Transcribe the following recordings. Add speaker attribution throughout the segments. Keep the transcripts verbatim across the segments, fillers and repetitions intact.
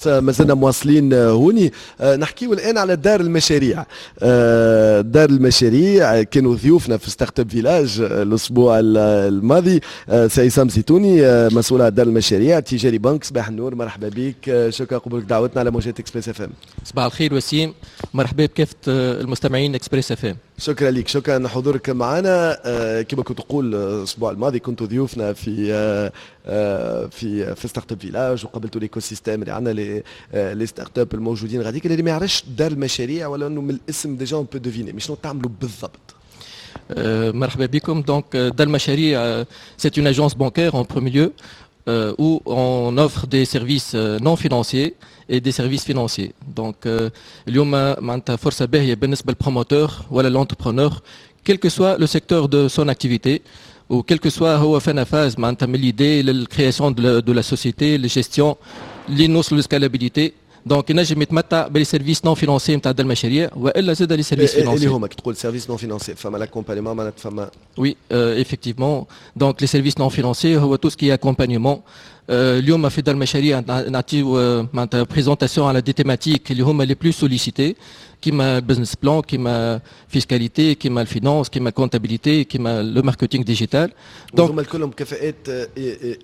Speaker 1: ما زلنا مواصلين هوني، آه، نحكيو الان على دار المشاريع. آه، دار المشاريع كانوا ضيوفنا في Startup Village الاسبوع الماضي. آه، سي عصام زيتوني، مسؤول على دار المشاريع تجاري بنك، صباح النور، مرحبا بك، شكرا قبولك دعوتنا على موجات Express FM.
Speaker 2: صباح الخير وسيم، مرحبا بكافة المستمعين Express FM.
Speaker 1: شكرا لك، شكرا حضورك معنا. كما كنت تقول، الاسبوع الماضي كنتوا ضيوفنا في في في Startup Village وقابلتوا l'écosystème اللي عندنا، les les startups الموجودين غاديك. اللي ما يعرفش دار المشاريع، ولا انه من الاسم déjà on peut deviner، mais شنو تعملوا بالضبط؟
Speaker 2: مرحبا بكم. donc دار المشاريع c'est une agence bancaire en premier lieu où on offre des services non financiers et des services financiers. Donc اليوم معناتها فرصة باهية بالنسبة لل promoteur ولا l'entrepreneur، quel que soit le secteur de son activité ou quel que soit هو فانا phase، معناتها من l'idée لل création de la société، لل gestion، اللي نوصلوا لل scalabilité. donc ينجم يتمتع ب les services non financiers نتاع المشاريع والا زاد les services
Speaker 1: financiers. اللي هما كي تقول services non financiers، فما l'accompagnement معناتها فما
Speaker 2: oui، effectivement. donc les services non financiers هو tout ce qui est accompagnement. اليوم في دار المشاريع نعطيو معناتها présentation على des thématiques اللي هما les plus sollicités، كيما business plan، كيما fiscalité، كيما ال finance، كيما comptabilité، كيما le marketing digital.
Speaker 1: donc هما كلهم كفاءات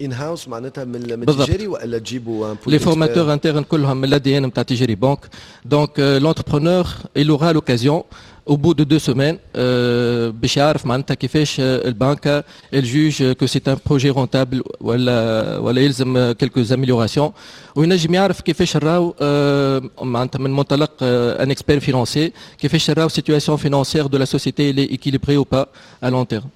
Speaker 1: in-house معناتها من التجاري والا تجيبوا؟
Speaker 2: les formateurs internes كلهم من l'ADN نتاع تجاري بنك. donc l'entrepreneur il aura l'occasion au bout de deux semaines باش يعرف معناتها كيفاش البنك elle juge que c'est un projet rentable ولا ولا يلزم quelques améliorations، وينجم يعرف كيفاش نراو معناتها من منطلق un expert financier، كيفاش نراو situation financière de la société، elle est équilibrée ou pas à long terme.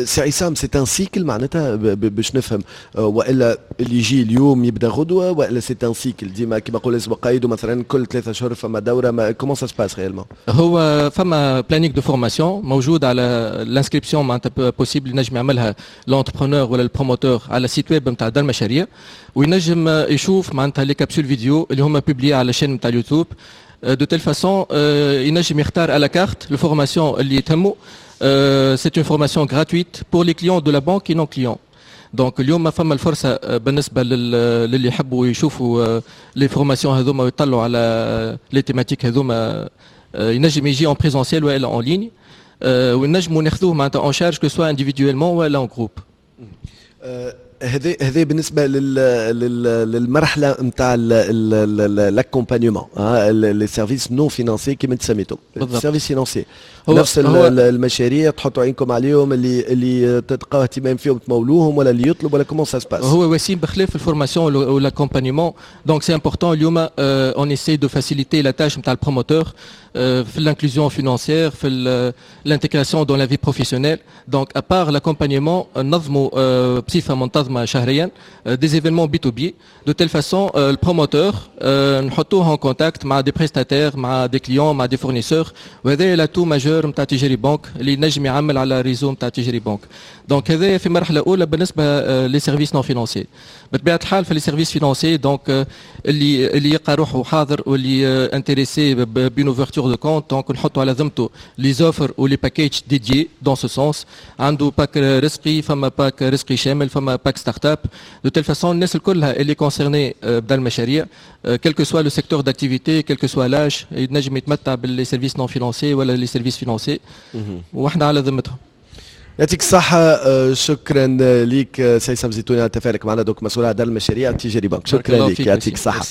Speaker 1: سي عصام، c'est un cycle معناتها باش نفهم، والا اللي يجي اليوم يبدا غدوه، والا c'est un cycle ديما كيما نقول اسم قايد، مثلا كل ثلاثة اشهر فما دوره؟ ما comment ça se passe réellement؟
Speaker 2: هو فما planning de formation موجود على l'inscription، معناتها possible ينجم يعملها l'entrepreneur ولا ال promoteur على site web نتاع دار المشاريع، وينجم يشوف معناتها les capsules vidéo اللي هما publiées على chaîne نتاع اليوتيوب. de telle façon ينجم يختار à la carte ال formation اللي تهمه. c'est une formation gratuite pour les clients de la banque et non clients. donc اليوم فما الفرصة بالنسبة للي يحبوا يشوفوا les formations هذوما ويطلعوا على les thématiques هذوما، ينجم يجي en présentiel والا en ligne، ونجموا ناخذوه معناتها en charge، que ce soit individuellement ولا en groupe.
Speaker 1: هذا هذا بالنسبة لل للمرحلة نتاع l'accompagnement، les services non financiers كيما انت سميتهم. services financiers، نفس المشاريع تحطوا عينكم عليهم، اللي اللي تلقاو اهتمام فيهم تمولوهم، ولا اللي يطلب، ولا comment ça se passe؟
Speaker 2: هو وسيم، بخلاف ال formation و l'accompagnement، donc c'est important اليوم on essaie de faciliter la tâche نتاع ال promoteur في l'inclusion financière، في l'intégration dans la vie professionnelle. donc à part l'accompagnement، نظموا بصفة منتظمة شهريا des événements بي تو بي، de telle façon ال promoteur نحطوه en contact مع des prestataires، مع des clients، مع des fournisseurs. وهذا l'atout majeur نتاع تجاري بنك اللي نجم يعمل على réseau نتاع تجاري بنك. donc هذا في مرحلة اولى بالنسبة les services non financiers. بطبيعة الحال في les services financiers، donc اللي اللي يلقى روحه حاضر واللي intéressé ب une ouverture de compte، donc نحطوا على ذمته les offres و les packages dédiés dans ce sens. عنده pack رزقي، فما pack رزقي شامل، فما pack startup، de telle façon الناس الكلها اللي concernés بدا المشاريع، quel que soit le secteur d'activité، quel que soit l'âge، ينجم يتمتع ب les services non financiers ولا les services financiers، واحنا على ذمتهم.
Speaker 1: يعطيك الصحة، آه، شكرا ليك سي عصام زيتوني على تفاعلك معنا، donc مسؤول على دار المشاريع التجاري بنك. شكرا لك، يعطيك الصحة.